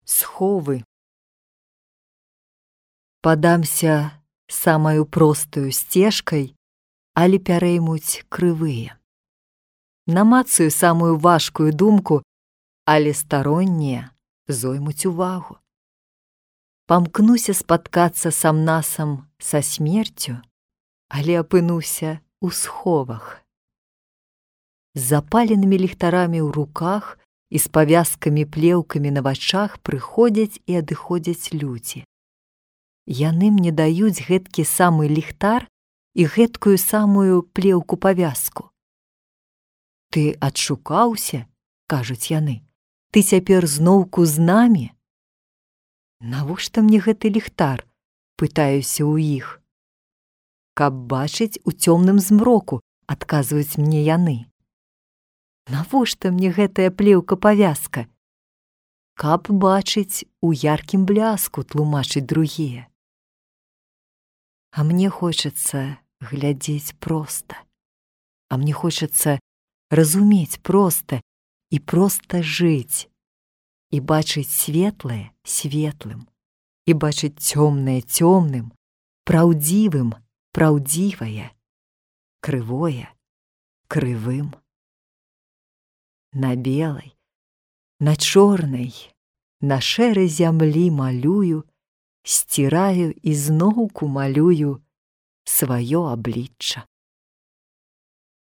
Сховы. Падамся самаю простаю сцежкай, але пярэймуць крывыя. Намацаю самую важкую думку, але староннія зоймуць увагу. Памкнуся спаткацца сам-насам са смерцю, але апынуся ў сховах. З запаленымі ліхтарамі ў руках і з павязкамі-плеўкамі на вачах прыходзяць і адыходзяць людзі. Яны мне даюць гэткі самы ліхтар і гэткую самую плеўку-павязку. «Ты адшукаўся?» – кажуць яны. «Ты цяпер зноўку з намі?» «Навошта мне гэты ліхтар?» – пытаюся ў іх. «Каб бачыць у цёмным змроку», – адказваюць мне яны. «Навошта мне гэтая плеўка-павязка?» «Каб бачыць у яркім бляску», – тлумачаць другія. А мне хочацца глядзець проста. А мне хочацца разумець проста і проста жыць. І бачыць светлае светлым. І бачыць цёмнае цёмным, праўдзівым праўдзівае, крывое крывым. На белай, на чорнай, на шэрай зямлі малюю, сціраю і зноўку малюю сваё аблічча.